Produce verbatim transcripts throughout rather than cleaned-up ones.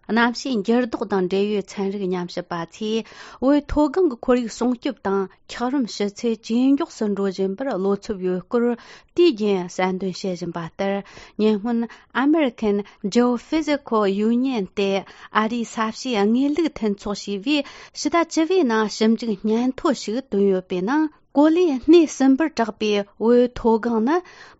གནམ་གཤིས་འགྱུར་ལྡོག་དང་འབྲེལ་ཡོད་ཚན་རིག་ཉམས་ཞིབ་པ་ཚོས་བོད་མཐོ་སྒང་གི་ཁོར་ཡུག་སྲུང་སྐྱོབ་དང་འཁྱགས་རོམ་ཞུ་ཚད་ཇེ་མགྱོགས་སུ་འགྲོ་བཞིན་པར་བློ་འཚབ་ཡོད་སྐོར་དུས་རྒྱུན་གསལ་འདོན་བྱེད་བཞིན་པ་ལྟར། ཉེ་སྔོན་American Geophysical Union སྟེ་ཨ་རིའི་ས་གཤིས་དངོས་ལུགས་མཐུན་ཚོགས་ཞེས་པས་ཕྱི་ཟླ་བཅུ་པའི་ནང་ཞིབ་འཇུག་སྙན་ཐོ་ཞིག་བཏོན་ཡོད་པའི་ནང་། གོ་ལའི་སྣེ་གསུམ་པར་གྲགས་པའི་བོད་མཐོ་སྒང་ནི་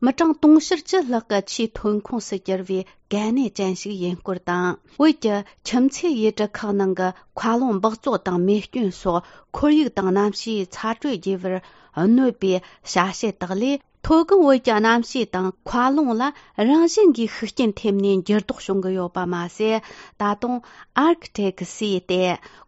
མི་གྲངས་དུང་ཕྱུར་བཅུ་ལྷག་གི་ཆེས་ཐོན་ཁུངས་སུ་གྱུར་བའི་གལ་གནད་ཅན་ཞིག་ཡིན་སྐོར་དང་། བོད་ཀྱི་ཁྱིམ་མཚེས་ཡུལ་གྲུ་ཁག་ནང་གི་མཁའ་རླུང་འབག་བཙོག་དང་མེ་སྐྱོན་སོགས་ཁོར་ཡུག་དང་གནམ་གཤིས་ཚ་དྲོད་རྒྱས་པར་གནོད་པའི་བྱ་བྱེད་དག་ལས། མཐོ་སྒང་བོད་ཀྱི་གནམ་གཤིས་དང་མཁའ་རླུང་ལ་རང་བཞིན་གྱིས་ཤུགས་རྐྱེན་ཐེབས་ནས་འགྱུར་ལྡོག་བྱུང་གི་ཡོད་པ་མ་ཟད། ད་དུང་Arctic Sea སྟེ་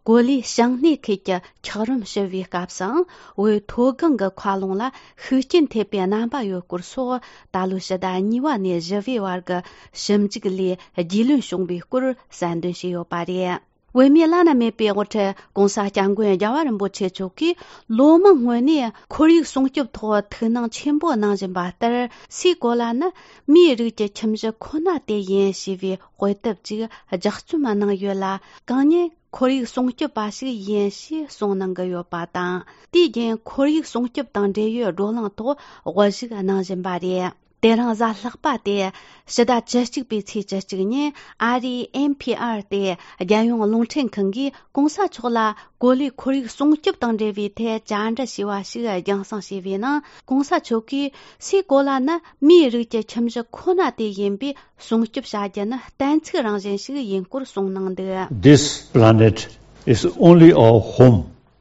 གོ་ལའི་བྱང་སྣེ་ཁུལ་གྱི་འཁྱགས་རོམ་ཞུ་བའི་སྐབས་སུའང་བོད་མཐོ་སྒང་གི་མཁའ་རླུང་ལ་ཤུགས་རྐྱེན་ཐེབས་པའི་རྣམ་པ་ཡོད་སྐོར་སོགས། ད་ལོའི་ཕྱི་ཟླ་གཉིས་པ་ནས་བཞི་པའི་བར་གྱི་ཞིབ་འཇུག་ལས་རྒྱུས་ལོན་བྱུང་བའི་སྐོར་གསལ་འདོན་བྱས་ཡོད་པ་རེད། བོད་མིའི་བླ་ན་མེད་པའི་དབུ་ཁྲིད་༸གོང་ས་༸སྐྱབས་མགོན་རྒྱལ་བ་རིན་པོ་ཆེ་མཆོག་གིས་ལོ་མང་སྔོན་ནས་ཁོར་ཡུག་སྲུང་སྐྱོབ་ཐོག་ཐུགས་སྣང་ཆེན་པོ་གནང་བཞིན་པ་ལྟར། སའི་གོ་ལ་ནི་མིའི་རིགས་ཀྱི་ཁྱིམ་གཞི་ཁོ་ན་དེ་ཡིན་ཞེས་པའི་དཔེ་དེབ་ཅིག་ལྗགས་རྩོམ་གནང་ཡོད་ལ། གང་ཉིད་ཁོར་ཡུག་སྲུང་སྐྱོབ་པ་ཞིག་ཡིན་ཞེས་གསུངས་གནང་གི་ཡོད་པ་དང་། དེའི་རྐྱེན་ཁོར་ཡུག་སྲུང་སྐྱོབ་དང་འབྲེལ་ཡོད་བགྲོ་གླེང་ཐོག་དབུ་བཞུགས་གནང་བཞིན་པ་རེད། དེ་རིང་གཟའ་ལྷག་པ་སྟེ་ཕྱི་ཟླ་བཅུ་གཅིག་པའི་ཚེས་བཅུ་གཅིག་ཉིན་ཨ་རིའི་ཨེན་ཕི་ཨར་སྟེ་རྒྱལ་ཡོངས་རླུང་འཕྲིན་ཁང་གིས་༸གོང་ས་མཆོག་ལ་གོ་ལའི་ཁོར་ཡུག་སྲུང་སྐྱོབ་དང་འབྲེལ་བའི་ཐད་བཅར་འདྲི་ཞུས་པ་ཞིག་རྒྱང་སྲིང་བྱས་པའི་ནང་། ༸གོང་ས་མཆོག་གིས་སའི་གོ་ལ་ནི་མིའི་རིགས་ཀྱི་ཁྱིམ་གཞི་ཁོ་ན་དེ་ཡིན་པས། སྲུང་སྐྱོབ་བྱ་རྒྱུ་ནི་གཏན་ཚིགས་རང་བཞིན་ཞིག་ཡིན་སྐོར་གསུངས་གནང་འདུག། This planet is only our home.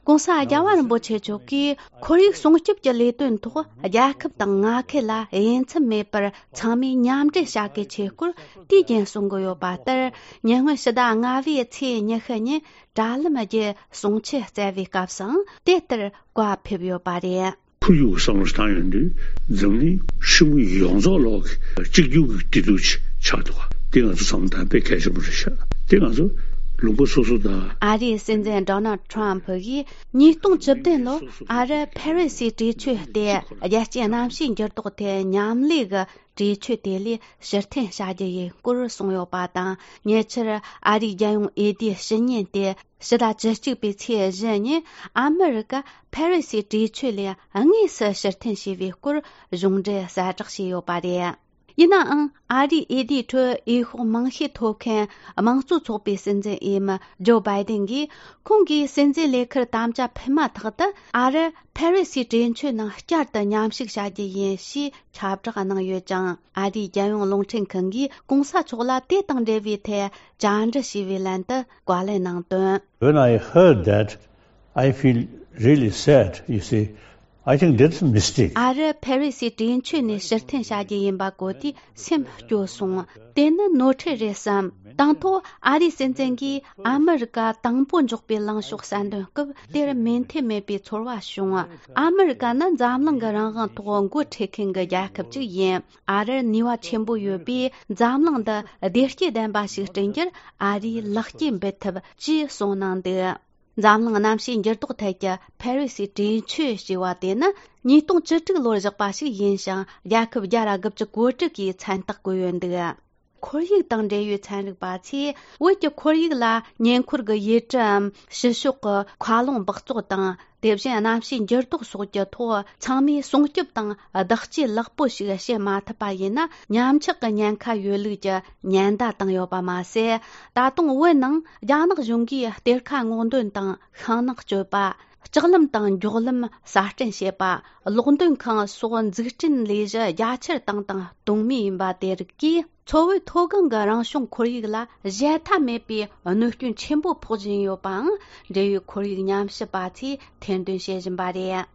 ༸གོང་ས་རྒྱལ་བ་རིན་པོ་ཆེ་མཆོག་གིས་ཁོར་ཡུག་སྲུང་སྐྱོབ་ཀྱི་ལས་དོན་ཐོག་རྒྱལ་ཁབ་དང་མངའ་ཁུལ་ལ་དབྱེ་མཚམས་མེད་པར་ཚང་མས་མཉམ་འབྲེལ་བྱ་གལ་ཆེ་སྐོར་དུས་རྒྱུན་གསུང་གི་ཡོད་པ་ལྟར། ཉེ་སྔོན་ཕྱི་ཟླ་ལྔ་པའི་ཚེས་ཉི་ཤུ་ཉིན་དྲ་ལམ་བརྒྱུད་གསུང་ཆོས་སྩལ་བའི་སྐབས་སུའང་དེ་ལྟར་བཀའ་ཕེབས་ཡོད་པ་རེད། ཁོར་ཡུག་བསམ་བློ་བཏང་ཡོང་དུས་འཛམ་གླིང་ཧྲིལ་པོ་ཡོངས་རྫོགས་ལོག་གི་གཅིག་གྱུར་གྱི་བདེ་སྡུག་ཅིག་ཆགས་འདུག་ག་དེ་ང་ཚོ་བསམ་བློ་བཏང་དཔེ་གལ་ཆེན་པོ་རེད་ཤག་དེ་ང་ཚོ་ལུང་པ་སོ་སོ་དང་། ཨ་རིའི་སྲིད་འཛིན་Donald Trump གིས་ཉིས་སྟོང་བཅུ་བདུན་ལོར་ཨ་རི་ཕ་རི་སིའི་གྲོས་ཆོད་སྟེ་རྒྱལ་སྤྱིའི་གནམ་གཤིས་འགྱུར་ལྡོག་ཐད་མཉམ་ལས་ཀྱི་གྲོས་ཆོད་དེ་ལས་ཕྱིར་འཐེན་བྱ་རྒྱུ་ཡིན་སྐོར་གསུངས་ཡོད་པ་དང་། ཉེ་ཆར་ཨ་རིའི་རྒྱལ་ཡོངས་འོས་བསྡུའི་ཕྱི་ཉིན་ཏེ། ཕྱི་ཟླ་བཅུ་གཅིག་པའི་ཚེས་བཞི་ཉིན་ཨ་མི་རི་ཀ་ཕ་རི་སིའི་གྲོས་ཆོད་ལས་དངོས་སུ་ཕྱིར་འཐེན་བྱས་པའི་སྐོར་གཞུང་འབྲེལ་གསལ་བསྒྲགས་བྱས་ཡོད་པ་རེད། ཡིན་ནའང་ཨ་རིའི་འོས་བསྡུའི་ཁྲོད་འོས་ཤོག་མང་ཤོས་ཐོབ་མཁན་དམངས་གཙོ་ཚོགས་པའི་སྲིད་འཛིན་འོས་མི་ཇོ་བྷའི་ཏིན་གྱིས་ཁོང་གིས་སྲིད་འཛིན་ལས་ཁུར་དམ་བཅའ་ཕུལ་མ་ཐག་ཏུ་ཨ་རི་ཕ་རི་སིའི་གྲོས་ཆོད་ནང་བསྐྱར་དུ་མཉམ་ཞུགས་བྱ་རྒྱུ་ཡིན་ཞེས་ཁྱབ་བསྒྲགས་གནང་ཡོད་ཅིང་། ཨ་རིའི་རྒྱལ་ཡོངས་རླུང་འཕྲིན་ཁང་གིས་༸གོང་ས་མཆོག་ལ་དེ་དང་འབྲེལ་བའི་ཐད་བཅར་འདྲི་ཞུས་པའི་ལན་དུ་བཀའ་ལན་གནང་དོན། When I heard that, I feel really sad, you see. I think that's a mistake. ཨ་རི་ཕ་རི་སིའི་གྲོས་ཆོད་ནས་ཕྱིར་འཐེན་བྱ་རྒྱུ་ཡིན་པ་གོ་དུས་སེམས་སྐྱོ་སོང་། དེ་ནི་ནོར་འཁྲུལ་རེད་བསམ། དང་ཐོག་ཨ་རིའི་སྲིད་འཛིན་གྱིས་ཨ་མི་རི་ཀ་དང་པོ་འཇོག་པའི་ལངས་ཕྱོགས་གསལ་འདོན་སྐབས་དེར་མོས་མཐུན་མེད་པའི་ཚོར་བ་བྱུང་། ཨ་མི་རི་ཀ་ནི་འཛམ་གླིང་གི་རང་དབང་ཐོག་འགོ་ཁྲིད་མཁན་གྱི་རྒྱལ་ཁབ་ཅིག་ཡིན། ཨ་རིར་ནུས་པ་ཆེན་པོ་ཡོད་པས་འཛམ་གླིང་འདི་བདེ་སྐྱིད་ལྡན་པ་ཞིག་བསྐྲུན་རྒྱུར་ཨ་རིས་ལེགས་སྐྱེས་འབུལ་ཐུབ་ཅེས་གསུངས་གནང་འདུག། འཛམ་གླིང་གནམ་གཤིས་འགྱུར་ལྡོག་ཐད་ཀྱི་ཕ་རི་སིའི་གྲོས་ཆོད་ཞེས་པ་དེ་ནི་ཉིས་སྟོང་བཅུ་དྲུག་ལོར་བཞག་པ་ཞིག་ཡིན་ཞིང་། རྒྱལ་ཁབ་བརྒྱ་དང་དགུ་བཅུ་གོ་དྲུག་གིས་མཚན་རྟགས་བཀོད་ཡོད་འདུག། ཁོར་ཡུག་དང་འབྲེལ་ཡོད་ཚན་རིག་པ་ཚོས་བོད་ཀྱི་ཁོར་ཡུག་ལ་ཉེ་འཁོར་གྱི་ཡུལ་གྲུའམ་ཕྱི་ཕྱོགས་ཀྱི་མཁའ་རླུང་འབག་བཙོག་དང་། དེ་བཞིན་གནམ་གཤིས་འགྱུར་ལྡོག་སོགས་ཀྱི་ཐོག་ཚང་མས་སྲུང་སྐྱོབ་དང་བདག་གཅེས་ལེགས་པོ་ཞིག་བྱེད་མ་ཐུབ་པ་ཡིན་ན། ཉམས་ཆག་གི་ཉེན་ཁ་ཡོད་ལུགས་ཀྱི་ཉེན་བརྡ་བཏང་ཡོད་པ་མ་ཟད། ད་དུང་བོད་ནང་རྒྱ་ནག་གཞུང་གིས་གཏེར་ཁ་སྔོག་འདོན་དང་ཤིང་ནགས་གཅོད་པ། ལྕགས་ལམ་དང་མགྱོགས་ལམ་གསར་སྐྲུན་བྱེད་པ། གློག་འདོན་ཁང་སོགས་འཛུགས་སྐྲུན་ལས་གཞི་རྒྱ་ཆེར་བཏང་དང་གཏོང་མུས་ཡིན་པ་དེ་རིགས་ཀྱིས། མཚོ་བོད་མཐོ་སྒང་གི་རང་བྱུང་ཁོར་ཡུག་ལ་གཞལ་མཐའ་མེད་པའི་གནོད་སྐྱོན་ཆེན་པོ་ཕོག་བཞིན་ཡོད་པའང་། འབྲེལ་ཡོད་ཁོར་ཡུག་ཉམས་ཞིབ་པ་ཚོས་ཐེར་འདོན་བྱེད་བཞིན་པ་རེད།